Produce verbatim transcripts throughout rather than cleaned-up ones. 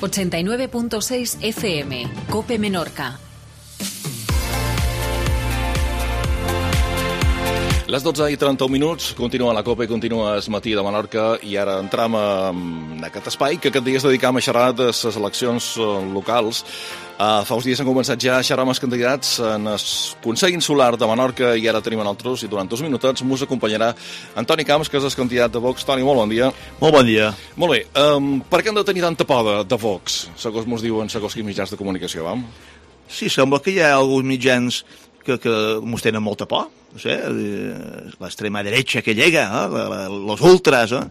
ochenta y nueve punto seis F M, COPE Menorca. Les dotze i trenta-un minuts, continua la COPE, continua el matí de Menorca i ara entram en aquest espai que aquest dia es dedicam a xerrar de les eleccions locals. Uh, fa uns dies han començat ja a xerrar amb els candidats en el Consell Insular de Menorca i ara tenim en altres i durant dos minutets mos acompanyarà Antoni Camps, que és el candidat de Vox. Toni, molt bon dia. Molt bon dia. Molt bé, um, per què hem de tenir tanta por de, de Vox, segons mos diuen segons quins mitjans de comunicació, vam? Sí, sembla que hi ha alguns mitjans que, que mos tenen molta por, no sé, l'extrema dreta que llega, eh? los ultras. Eh?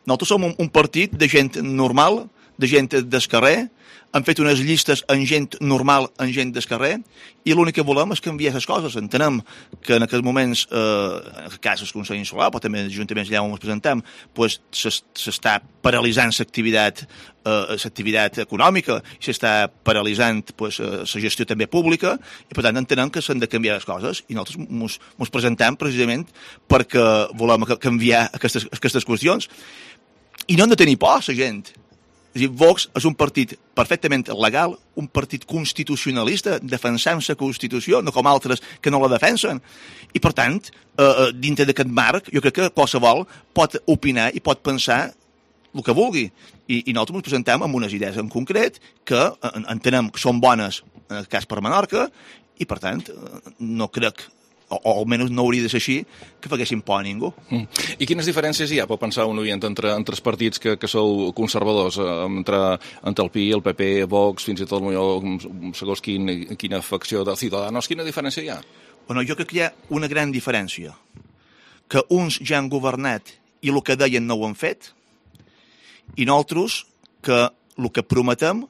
Nosaltres som un, un partit de gent normal, de gent del carrer, han fet unes llistes en gent normal, en gent del carrer, i l'únic que volem és canviar les coses. Entenem que en aquests moments, eh, en aquest cas el Consell Insular, però també els ajuntaments allà on ens presentem, pues, s'està paralitzant l'activitat eh, l'activitat econòmica, i s'està paralitzant pues, la gestió també pública, i per tant entenem que s'han de canviar les coses, i nosaltres ens presentem precisament perquè volem canviar aquestes, aquestes qüestions. I no hem de tenir por, la gent. És a dir, Vox és un partit perfectament legal, un partit constitucionalista, defensant la Constitució, no com altres que no la defensen. I, per tant, eh, dintre d'aquest marc, jo crec que qualsevol pot opinar i pot pensar el que vulgui. I, i nosaltres ens presentem amb unes idees en concret que entenem que són bones, en el cas per Menorca, i, per tant, no crec o, o almenys no hauria de ser així, que faguessin por a ningú. Mm. I quines diferències hi ha, pot pensar un oient, entre, entre els partits que, que sou conservadors, entre, entre el P I, el P P, Vox, fins i tot segons quin, quina facció de Ciudadanos, quina diferència hi ha? Bueno, jo crec que hi ha una gran diferència, que uns ja han governat i el que deien no ho han fet, i nosaltres que el que prometem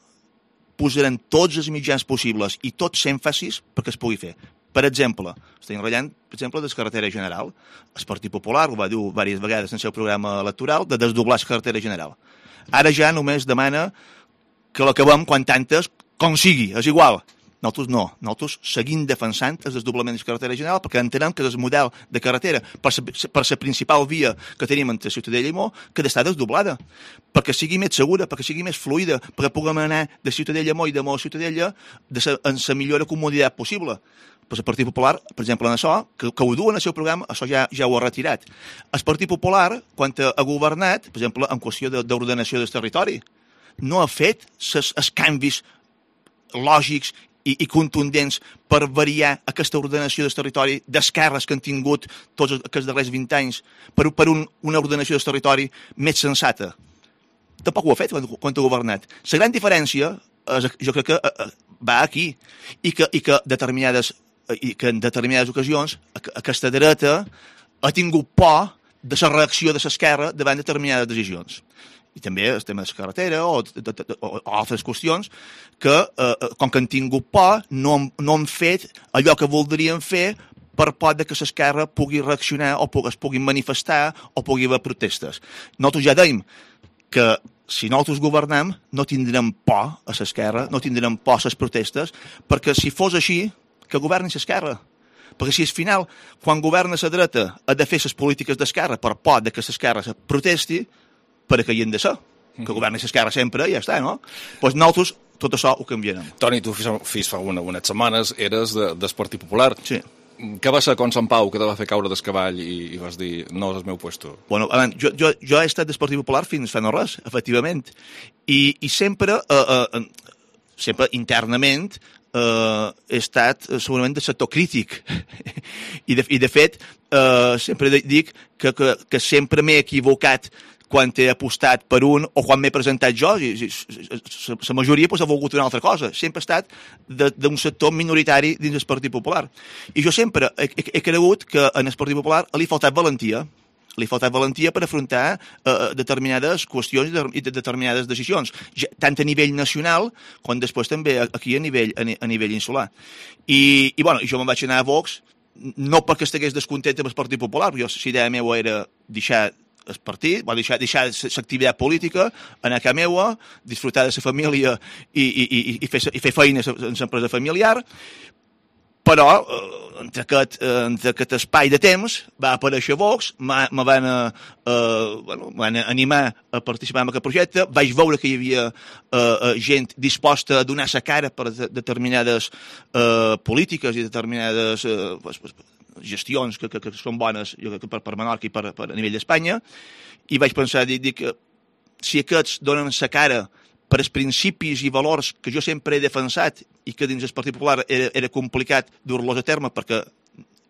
posarem tots els mitjans possibles i tots èmfasis perquè es pugui fer. Per exemple, estem ratllant, per exemple, de la carretera general. El Partit Popular ho va dir diverses vegades en el seu programa electoral de desdoblar la carretera general. Ara ja només demana que l'acabem quan tantes com sigui, és igual. Nosaltres no, nosaltres seguim defensant el desdoblament de la carretera general perquè entenem que és el model de carretera per la principal via que tenim entre Ciutadella i Mó que ha d'estar desdoblada, perquè sigui més segura, perquè sigui més fluida, perquè puguem anar de Ciutadella a Mó i de Mó a Ciutadella en la millor comoditat possible. Pues el Partit Popular, per exemple, en això, que, que ho duen al seu programa, això ja, ja ho ha retirat. El Partit Popular, quan ha governat, per exemple, en qüestió d'ordenació del territori, no ha fet els canvis lògics i, i contundents per variar aquesta ordenació del territori d'esquerres que han tingut tots aquests darrers vint anys per, per un, una ordenació del territori més sensata. Tampoc ho ha fet quan, quan ha governat. La gran diferència, és, jo crec que eh, va aquí, i que, i que determinades i que en determinades ocasions aquesta dreta ha tingut por de la reacció de l'esquerra davant determinades decisions. I també el tema de la carretera o, de, de, de, o, o altres qüestions que, eh, com que han tingut por, no, no han fet allò que voldrien fer per por de que l'esquerra pugui reaccionar o es pugui manifestar o pugui haver protestes. Nosaltres ja dèiem que si nosaltres governam no tindrem por a l'esquerra, no tindrem por a les protestes, perquè si fos així, que governi l'esquerra. Perquè si al final, quan governa la dreta, ha de fer les polítiques d'esquerra per por de que l'esquerra se protesti, per a què hi han de ser. Que governi l'esquerra sempre i ja està, no? Doncs nosaltres tot això ho canviarem. Toni, tu fins fa una, unes setmanes eres de, del Partit Popular. Sí. Què va ser con Sant Pau que te va fer caure del cavall i, i vas dir, no és el meu puesto? Bueno, abans, jo, jo, jo he estat del Partit Popular fins fa no res, efectivament. I, i sempre, eh, eh, sempre internament, Uh, he estat uh, segurament de sector crític I, de, i de fet uh, sempre dic que, que, que sempre m'he equivocat quan he apostat per un o quan m'he presentat jo, la majoria pues, ha volgut una altra cosa, sempre he estat d'un sector minoritari dins del Partit Popular i jo sempre he, he, he cregut que en el Partit Popular li ha faltat valentia li ha faltat valentia per afrontar eh, determinades qüestions i de determinades decisions, ja, tant a nivell nacional com després també aquí a nivell, a, a nivell insular. I, i bueno, jo me'n vaig anar a Vox, no perquè estigués descontent amb el Partit Popular, jo la idea meva era deixar el partit, va deixar, deixar l'activitat política, anar a casa meva, disfrutar de la família i, i, i, i, fer, i fer feines en l'empresa familiar, però eh, entre, aquest, eh, entre aquest espai de temps va aparèixer Vox, me van, eh, bueno, van animar a participar en aquest projecte, vaig veure que hi havia eh, gent disposta a donar sa cara per de, determinades eh, polítiques i determinades eh, pues, pues, gestions que, que, que són bones jo crec, per, per Menorca i per, per a nivell d'Espanya, i vaig pensar, dic, dic que si aquests donen sa cara per als principis i valors que jo sempre he defensat i que dins el Partit Popular era, era complicat dur-los a terme perquè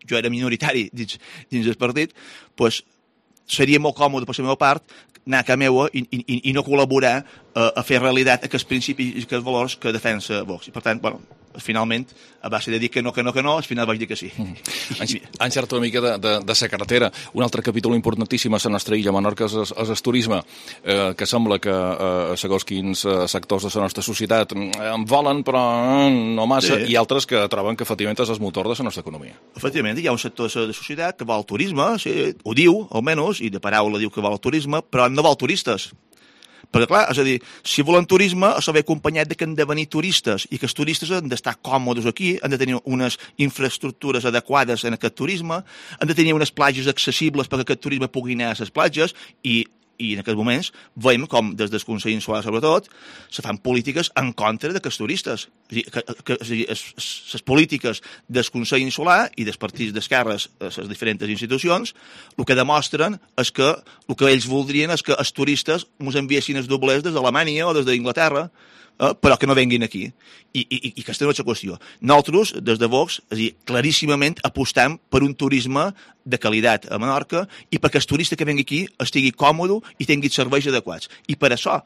jo era minoritari dins, dins el partit, doncs seria molt còmode per la meva part anar a casa meva i, i, i no col·laborar a, a fer realitat aquests principis i aquests valors que defensa Vox. I per tant, bueno, finalment, a base de dir que no, que no, que no, al final vaig dir que sí. Mm. Han xert una mica de, de, de sa carretera. Un altre capítol importantíssim a la nostra illa, Menorca, és, és el turisme, eh, que sembla que eh, segons quins eh, sectors de la nostra societat en volen, però no massa, sí. I altres que troben que efectivament és el motor de la nostra economia. Efectivament, hi ha un sector de la societat que vol el turisme, sí, ho diu, almenys, i de paraula diu que vol el turisme, però no vol turistes. Perquè, clar, és a dir, si volen turisme, s'ha d'haver acompanyat de que han de venir turistes i que els turistes han d'estar còmodes aquí, han de tenir unes infraestructures adequades en aquest turisme, han de tenir unes platges accessibles perquè aquest turisme pugui anar a les platges i i en aquests moments veiem com des del Consell Insular sobretot se fan polítiques en contra d'aquests turistes. És a dir, les polítiques del Consell Insular i dels partits d'esquerres a les diferents institucions el que demostren és que el que ells voldrien és que els turistes ens enviessin els doblers des d'Alemanya o des d'Inglaterra, eh, però que no venguin aquí. I, i, i aquesta no és la qüestió. Nosaltres, des de Vox, és a dir, claríssimament apostem per un turisme de qualitat a Menorca i perquè el turista que vengui aquí estigui còmode i tingui serveis adequats. I per això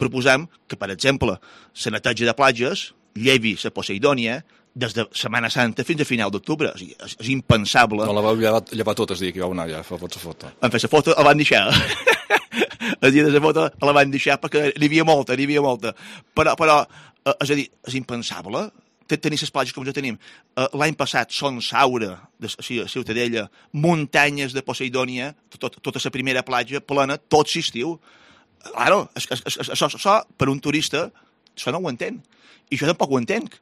proposem que, per exemple, la neteja de platges llevi la Poseidònia des de Setmana Santa fins a final d'octubre. És, és, és impensable. No la vau llevar, llevar tot el dia que hi vau anar, ja, fa fots a foto. En fer la foto la van deixar. El dia de la foto la van deixar perquè n'hi havia molta, n'hi havia molta. Però, però és a dir, és impensable tenir les platges com ja tenim. L'any passat, Son Saura, de a Ciutadella, muntanyes de Poseidònia, tot, tota la primera platja plena, tot l'estiu. Claro, això, això, per un turista, això no ho entén. I jo tampoc ho entenc.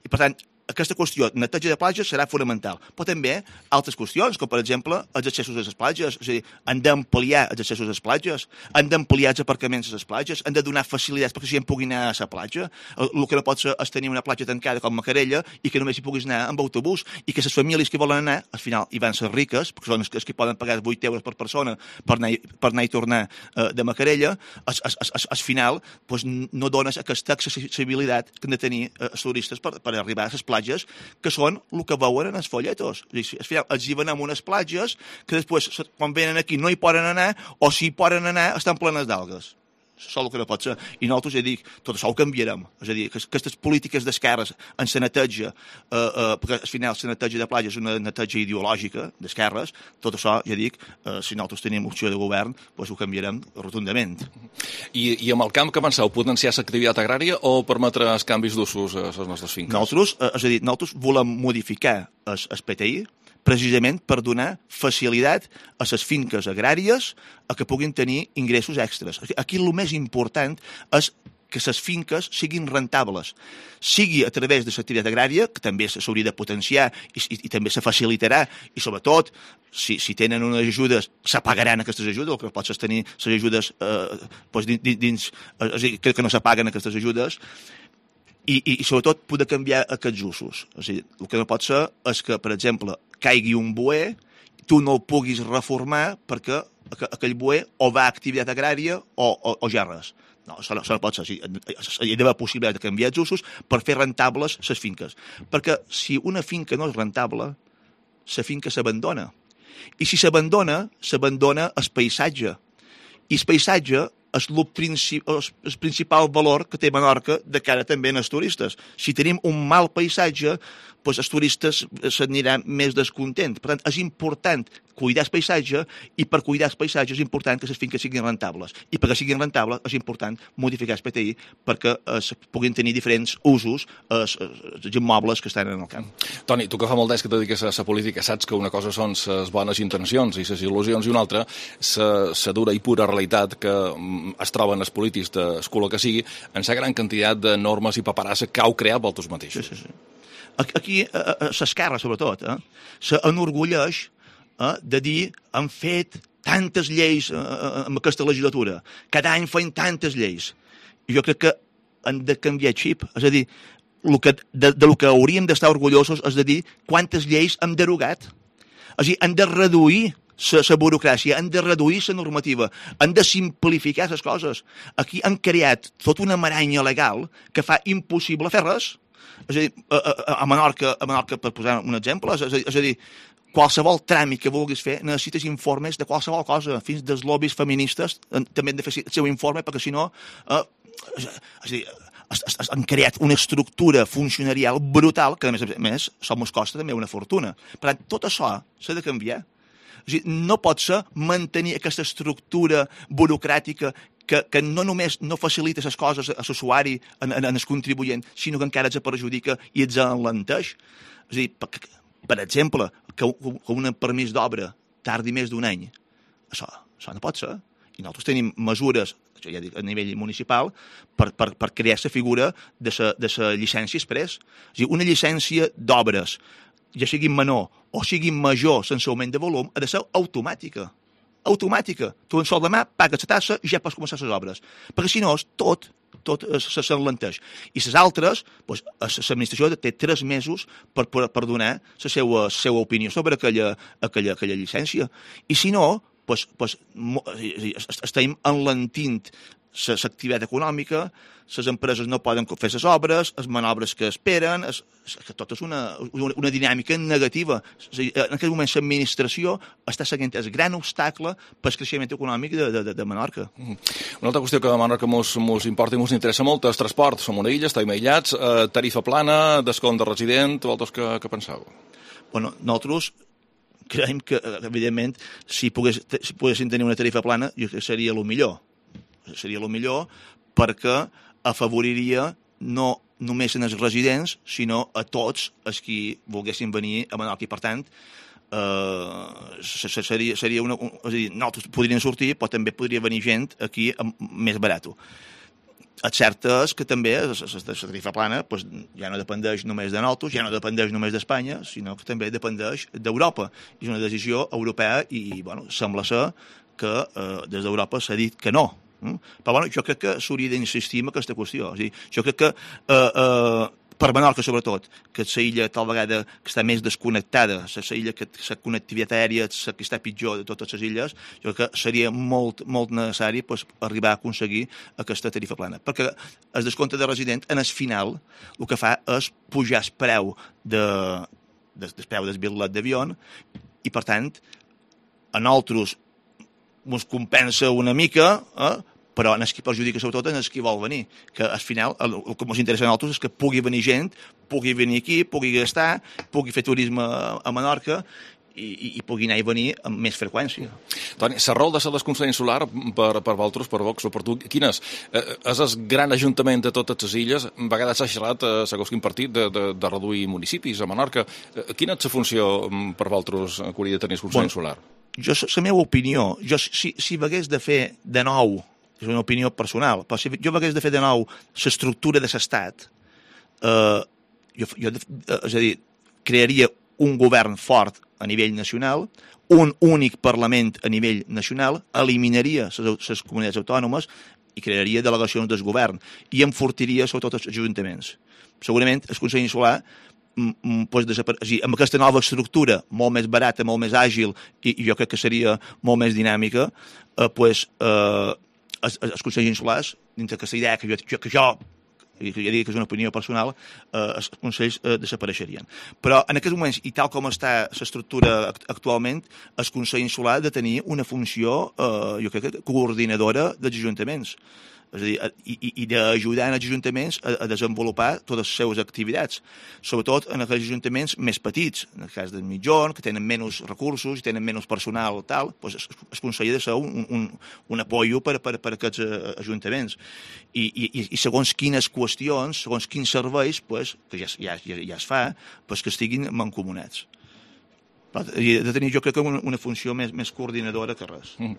I, per tant, aquesta qüestió, neteja de platges, serà fonamental. Però també altres qüestions, com per exemple els accessos a les platges. És a dir, han d'ampliar els accessos a les platges, han d'ampliar els aparcaments a les platges, han de donar facilitats perquè la gent pugui anar a la platja. El que no pot ser és tenir una platja tancada com Macarella i que només hi puguis anar amb autobús i que les famílies que volen anar, al final hi van ser riques, perquè són els que poden pagar vuit euros per persona per anar, per anar i tornar eh, de Macarella, al, al, al final doncs, no dones aquesta accessibilitat que han de tenir eh, els turistes per, per arribar a les platges que són el que veuen en els folletos. És a dir, els hi venem unes platges que després, quan venen aquí, no hi poden anar, o si hi poden anar, estan plenes d'algues. Això és el que no pot ser. I nosaltres, ja dic, tot això ho canviarem. És a dir, que aquestes polítiques d'esquerres en la neteja, eh, eh, perquè al final la neteja de platja és una neteja ideològica d'esquerres, tot això, ja dic, eh, si nosaltres tenim opció de govern, doncs ho canviarem rotundament. I, i amb el camp que penseu, potenciar l'activitat agrària o permetre els canvis d'usos a les nostres finques? Nosaltres, eh, és a dir, nosaltres volem modificar el, el P T I precisament per donar facilitat a les finques agràries a que puguin tenir ingressos extras. Aquí el més important és que les finques siguin rentables, sigui a través de l'activitat agrària, que també s'hauria de potenciar i, i, i també se facilitarà, i sobretot, si, si tenen unes ajudes, se pagaran aquestes ajudes, el que pot ser tenir les ajudes eh, doncs dins, dins, és a dir, que, que no se paguen aquestes ajudes, I, i, i sobretot poder canviar aquests usos. És a dir, el que no pot ser és que, per exemple, caigui un boer, tu no el puguis reformar perquè aquell boer o va a activitat agrària o, o, o ja res. No, això no, això no pot ser. Hi ha d'haver possibilitat de canviar els usos per fer rentables les finques. Perquè si una finca no és rentable, la finca s'abandona. I si s'abandona, s'abandona el paisatge. I el paisatge és el, princip, el principal valor que té Menorca de cara també als turistes. Si tenim un mal paisatge, doncs els turistes s'aniran més descontents. Per tant, és important cuidar el paisatge i per cuidar el paisatge és important que les finques siguin rentables. I perquè siguin rentables és important modificar el P T I perquè es puguin tenir diferents usos els, els immobles que estan en el camp. Toni, tu que fa molt d'anys que et dediques a la política, saps que una cosa són les bones intencions i les il·lusions i una altra la dura i pura realitat que es troben els polítics d'escola que sigui en la gran quantitat de normes i paperassa que heu creat vosaltres mateixos. Sí, sí, sí. Aquí, a l'esquerra, sobretot, eh, s'enorgulleix eh, de dir han fet tantes lleis eh, en aquesta legislatura, cada any feien tantes lleis. I jo crec que han de canviar xip, és a dir, el que, de, de lo que hauríem d'estar orgullosos és de dir quantes lleis hem derogat. És a dir, han de reduir la burocràcia, han de reduir la normativa, han de simplificar les coses. Aquí han creat tota una maranya legal que fa impossible fer res. És a dir, a, a, a, Menorca, a Menorca, per posar un exemple, és a dir, és a dir qualsevol tràmit que vulguis fer necessites informes de qualsevol cosa, fins dels lobbies feministes també han de fer el seu informe, perquè si no... Eh, és a dir, han creat una estructura funcionarial brutal que, a més a més, això ens costa també una fortuna. Per tant, tot això s'ha de canviar. És a dir, no pot ser mantenir aquesta estructura burocràtica que, que no només no facilita les coses a l'usuari, en, en, en el contribuent, sinó que encara els perjudica i els enlenteix. És a dir, per, per exemple, que, que un permís d'obra tardi més d'un any. Això, això no pot ser. I nosaltres tenim mesures ja dic, a nivell municipal, per, per, per crear la figura de la llicència express. És a dir, una llicència d'obres, ja sigui menor o sigui major sense augment de volum, ha de ser automàtica. Automàtica. Tu en sol demà pagues la tassa i ja pots començar les obres. Perquè si no, tot tot s'enlenteix. I les altres, doncs, l'administració té tres mesos per, per, per donar la seva, la seva opinió sobre aquella, aquella, aquella llicència. I si no, pues, pues, estem enlentint l'activitat econòmica, les empreses no poden fer les obres, les manobres que esperen, es, que tot és una, una, una dinàmica negativa. En aquest moment l'administració està seguint el gran obstacle per al creixement econòmic de, de, de Menorca. Una altra qüestió que a Menorca mos, mos importa i mos interessa molt és transport. Som una illa, estem aïllats, eh, tarifa plana, descompte de resident, vosaltres què, què penseu? Bueno, nosaltres creiem que, evidentment, si, pogués, si poguessin tenir una tarifa plana, jo crec que seria el millor. Seria el millor perquè afavoriria no només en els residents, sinó a tots els qui volguessin venir a Menorca. I, per tant, eh, seria, seria una... És a dir, nosaltres podríem sortir, però també podria venir gent aquí més barat. El cert és que també la tarifa plana pues, ja no dependeix només de nosaltres, ja no dependeix només d'Espanya, sinó que també dependeix d'Europa. És una decisió europea i bueno, sembla ser que eh, des d'Europa s'ha dit que no. Però bueno, jo crec que s'hauria d'insistir en aquesta qüestió. És a dir, jo crec que eh, eh, per Menorca, sobretot, que és la illa tal vegada que està més desconnectada, és la illa que la connectivitat aèria és la que està pitjor de totes les illes, jo crec que seria molt, molt necessari pues, arribar a aconseguir aquesta tarifa plana. Perquè el descompte de resident, en el final, el que fa és pujar el preu de, de, del preu del bitllet d'avió i, per tant, a nosaltres ens compensa una mica, eh? Però en el que perjudica sobretot en el que vol venir, que al final el, el que ens interessa a nosaltres és que pugui venir gent, pugui venir aquí, pugui gastar, pugui fer turisme a Menorca i, i, i pugui anar i venir amb més freqüència. Toni, la rol de la desconnexió insular per, per vosaltres, per Vox o per tu, quin és? Eh, és el gran ajuntament de totes les illes, a vegades s'ha xerrat, eh, segons quin partit, de, de, de reduir municipis a Menorca. Eh, quina és la funció per vosaltres que hauria de tenir desconnexió bueno, insular? Jo, la meva opinió, jo, si, si hagués de fer de nou, és una opinió personal, però si jo hagués de fer de nou l'estructura de l'Estat, eh, jo, jo, és a dir, crearia un govern fort a nivell nacional, un únic Parlament a nivell nacional, eliminaria les comunitats autònomes i crearia delegacions del govern i enfortiria sobretot els ajuntaments. Segurament el Consell Insular pues, amb aquesta nova estructura molt més barata, molt més àgil i, i jo crec que seria molt més dinàmica, eh, pues, eh, els, els Consells Insulars, dintre aquesta idea que jo, que jo ja dic que és una opinió personal, eh, els consells eh, desapareixerien. Però en aquests moments, i tal com està l'estructura actualment, el Consell Insular ha de tenir una funció, eh, jo crec que coordinadora dels ajuntaments. És a dir, i, i d'ajudar els ajuntaments a, a desenvolupar totes les seves activitats, sobretot en aquells ajuntaments més petits, en el cas del mitjon, que tenen menys recursos i tenen menys personal, tal, doncs es, es consell de ser un, un, un apoyo per, per, per aquests ajuntaments. I, i, i segons quines qüestions, segons quins serveis, pues, que ja, ja, ja, ja es fa, pues, que estiguin mancomunats. I de tenir, jo crec que una, una funció més, més coordinadora que res. Mm.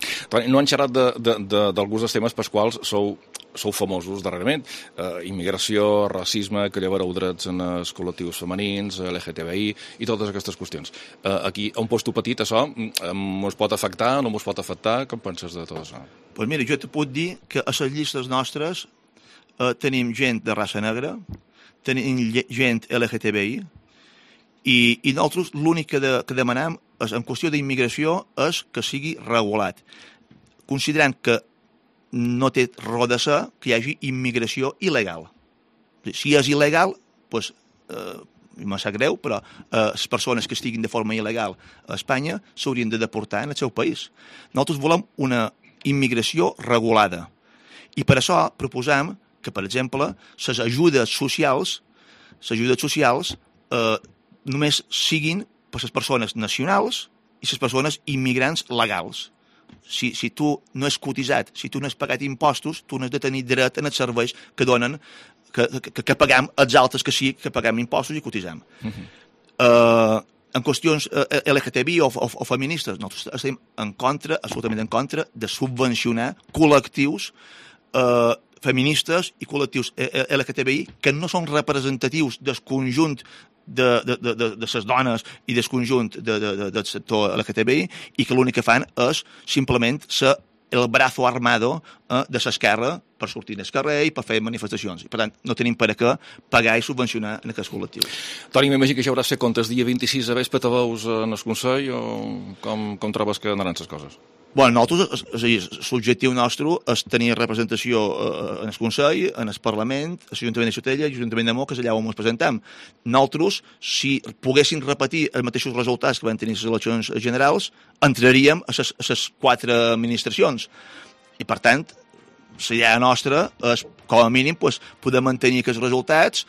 No han xerrat d'alguns de, de, de, dels temes pels quals sou, sou famosos darrerament. Eh, immigració, racisme, que llevareu drets en els col·lectius femenins, L G T B I i totes aquestes qüestions. Eh, aquí, a un posto petit, això mos pot afectar, no mos pot afectar? Com penses de tot això? Doncs pues mira, jo te puc dir que a les llistes nostres eh, tenim gent de raça negra, tenim gent L G T B I, I, i nosaltres l'únic que, de, que demanem és, en qüestió d'immigració és que sigui regulat, considerant que no té raó de ser que hi hagi immigració il·legal. Si és il·legal, doncs, eh, me sap greu, però eh, les persones que estiguin de forma il·legal a Espanya s'haurien de deportar en el seu país. Nosaltres volem una immigració regulada i per això proposem que, per exemple, les ajudes socials, les ajudes socials eh, només siguin per les persones nacionals i les persones immigrants legals. Si, si tu no has cotitzat, si tu no has pagat impostos, tu no has de tenir dret en els serveis que donen, que, que, que paguem els altres que sí, que paguem impostos i cotitzem. Uh-huh. uh, en qüestions uh, L G T B I o, o, o feministes, nosaltres estem en contra, absolutament en contra, de subvencionar col·lectius uh, feministes i col·lectius L G T B I que no són representatius del conjunt de, de, de, de, de les dones i del conjunt de, de, de, del sector L G T B I i que l'únic que fan és simplement ser el brazo armado eh, de l'esquerra per sortir al carrer i per fer manifestacions. I, per tant, no tenim per a què pagar i subvencionar en aquests col·lectius. Toni, m'imagino que ja hauràs fet comptes dia vint-i-sis a vespre, te veus en el Consell o com, com trobes que anaran les coses? Bueno, nosaltres, és a dir, l'objectiu nostre és tenir representació en el Consell, en el Parlament, a l'Ajuntament de Ciutadella i l'Ajuntament de Mo, que és allà on ens presentem. Nosaltres, si poguéssim repetir els mateixos resultats que van tenir les eleccions generals, entraríem a les, a les quatre administracions. I, per tant, la idea nostra és, com a mínim, pues, poder mantenir aquests resultats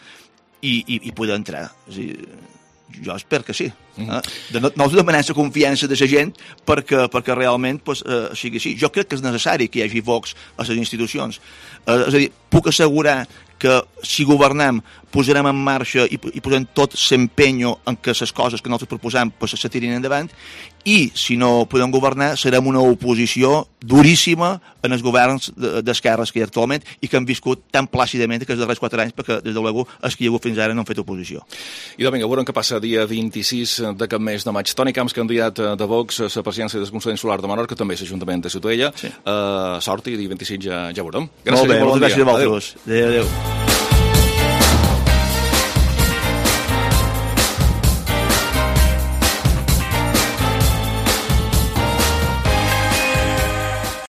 i, i, i poder entrar. És a dir, jo espero que sí. Eh? De no, no us demanem la confiança de la gent perquè, perquè realment pues, eh, sigui així. Jo crec que és necessari que hi hagi Vox a les institucions. Eh, és a dir, puc assegurar que si governem posarem en marxa i, i posem tot l'empenyo en que les coses que nosaltres proposem pues, se tirin endavant i si no podem governar serem una oposició duríssima en els governs d'esquerres que hi ha actualment i que han viscut tan plàcidament aquests darrers quatre anys perquè des de l'ego els que hi ha hagut fins ara no han fet oposició. I vinga, veurem què passa dia vint-i-sis d'aquest mes de maig. Toni Camps, candidat de Vox a la presidència del Consell Insular de Menorca, també a l'Ajuntament de Ciutadella. Sí. Uh, sort i dia vint-i-sis ja, ja veurem. Gràcies, molt bé, moltes gràcies a vosaltres. Adéu, adéu.